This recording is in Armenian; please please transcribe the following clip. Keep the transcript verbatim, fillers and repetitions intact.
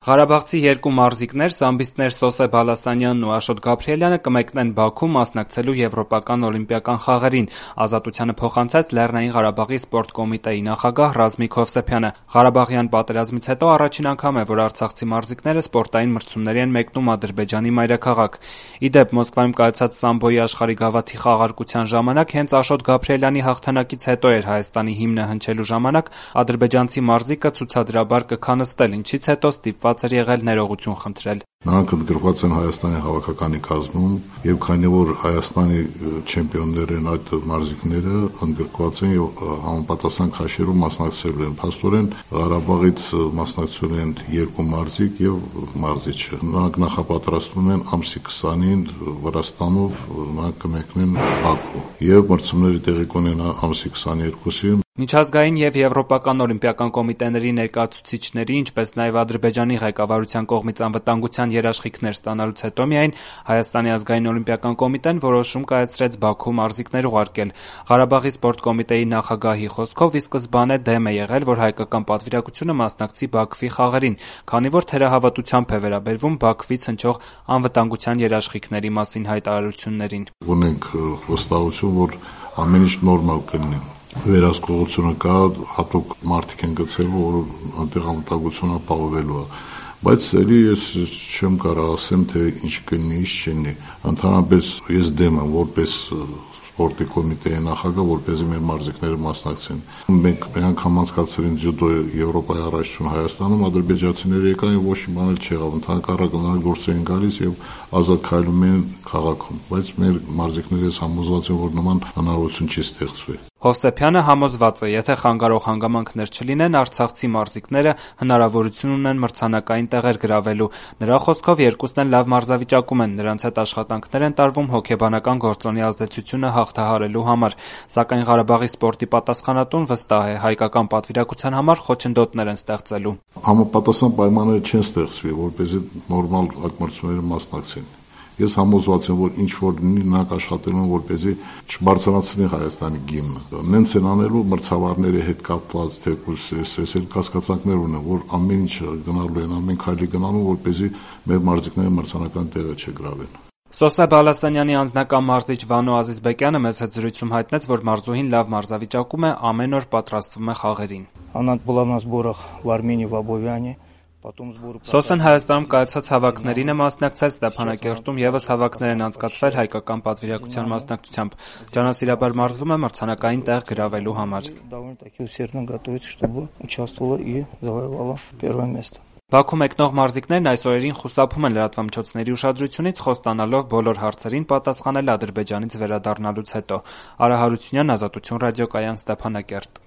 Ղարաբաղցի երկու մարզիկներ Սամբիստներ Սոսե Բալասանյանն ու Աշոտ Գաբրիելյանը կմեկնեն Բաքու մասնակցելու Եվրոպական օլիմպիական խաղերին, ազատությանը փոխանցեց Լեռնային Ղարաբաղի սպորտ կոմիտեի նախագահ Ռազմիկ Հովսեփյանը։ Ղարաբաղյան պատերազմից հետո առաջին անգամ է, որ արցախցի մարզիկները սպորտային մրցումների են մեկնում Ադրբեջանի մայրաքաղաք։ Ի դեպ, Մոսկվայում կայացած սամբոյի աշխարհի գավաթի խաղարկության ժամանակ հենց Աշոտ Գաբրիելյանի հաղթանակից հետո էր Հայաստանի հիմնը հնչելու ժամանակ ադրբեջանցի մարզիկը ցուցադրաբար կքանստել, ինչից հետո ստիպված էր եղել ներողություն խնդրել։ Նրանք ընդգրկված են Հայաստանի հավաքականի կազմում եւ քանի որ Հայաստանի չեմպիոններ են այդ մարզիկները, ընդգրկված են եւ համապատասխան քաշերում մասնակցելու են։ Փաստորեն Ղարաբաղից մասնակցել են երկու մարզիկ եւ մարզիչը։ Նրանք նախապատրաստվում են ամսի քսանին Վրաստանով, նրանք կմեկնեն Բաքու եւ մրցումները տեղի կունենա ամսի քսաներկուսին։ Միջազգային եւ Եվրոպական օլիմպիական կոմիտեների ներկայացուցիչների, ինչպես նաեւ Ադրբեջանի ղեկավարության կողմից անվտանգության երաշխիքներ ստանալուց հետո միայն Հայաստանի ազգային օլիմպիական կոմիտեն որոշում կայացրեց Բաքու մարզիկներ ուղարկել։ Ղարաբաղի սպորտ կոմիտեի նախագահի խոսքով ի սկզբանե դեմ է եղել, որ հայկական պատվիրակությունը մասնակցի Բաքվի խաղերին, քանի որ թերահավատությամբ է վերաբերվում Բաքվից հնչող անվտանգության երաշխիքների մասին հայտարարություններին։ Ունենք վստահություն, որ ամեն ինչ նորմալ կլինի։ Վերահսկողությունը կա, հատուկ մարդիկ են գցել, որ այնտեղ անվտանգությունը ապահովելու է։ Բայց ելի ես չեմ կարող ասեմ, թե ինչ կլինի, ինչ չլինի։ Ընդհանրապես ես դեմ եմ, որպես սպորտի կոմիտեի նախագահ, որպեսզի մեր մարզիկները մասնակցեն։ Մենք մի անգամ անցկացրել ենք ջյուդո Եվրոպայի առաջություն Հայաստանում, ադրբեջանցիները եկան եւ ոչ մի բան չեղավ, ընդհանրակարգ նրանք գործ էին գալիս եւ ազատ քայլում են քաղաքում, բայց մեր մարզիկները համոզված են, որ նման հնարավորություն չի ստեղծվի։ Հովսեփյանը համոզված է, եթե խանգարող հանգամանքներ չլինեն, արցախցի մարզիկները հնարավորություն ունեն մրցանակային տեղեր գրավելու։ Նրա խոսքով երկուսն էլ լավ մարզավիճակում են, նրանց հետ աշխատանքներ են տարվում հոգեբանական գործոնի ազդեցությունը հաղթահարելու համար։ Սակայն Ղարաբաղի սպորտի պատասխանատուն վստահ է, հայկական պատվիրակության համար խոչընդոտներ են ստեղծելու։ Համապատասխան պայմանները չեն ստեղծվի, որպեսզի նորմալ այդ մրցումները մասնակցեն։ Ես համոզված եմ, որ ինչ որ լինի, նրանք աշխատելու են, որպեսզի չբարձրանացնի Հայաստանի գիմնը։ Նենց են անելու մրցավարների հետ կապված թեկուզ էս էլ կասկածանքներ ունեն, որ ամեն ինչ գնալու են, ամեն քայլի գնալու, որպեսզի մեր մարզիկները մրցանական տեղը չգրավեն։ Սոսե Բալասանյանի անձնական մարզիչ Վանո Ազիզբեկյանը մեծ հետ զրույցում հայտնեց, որ մարզուհին լավ մարզավիճակում է, ամեն օր պատրաստվում է խաղերին։ Անանց была на сборах в Армении, в Абովյане. Սոսեն Հայաստանում կայացած հավաքներին է մասնակցել, Ստեփանակերտում եւս հավաքներ են անցկացվել հայկական պատվիրակության մասնակցությամբ։ Ջանասիրաբար մարզվում է մրցանակային տեղ գրավելու համար։ Բաքու մեկնող մարզիկներն այս օրերին խուսափում են լրատվամիջոցների ուշադրությունից, խոստանալով բոլոր հարցերին պատասխանել Ադրբեջանից վերադառնալուց հետո։ Արա Հարությունյան, Ազատություն ռադիոկայան, Ստեփանակերտ։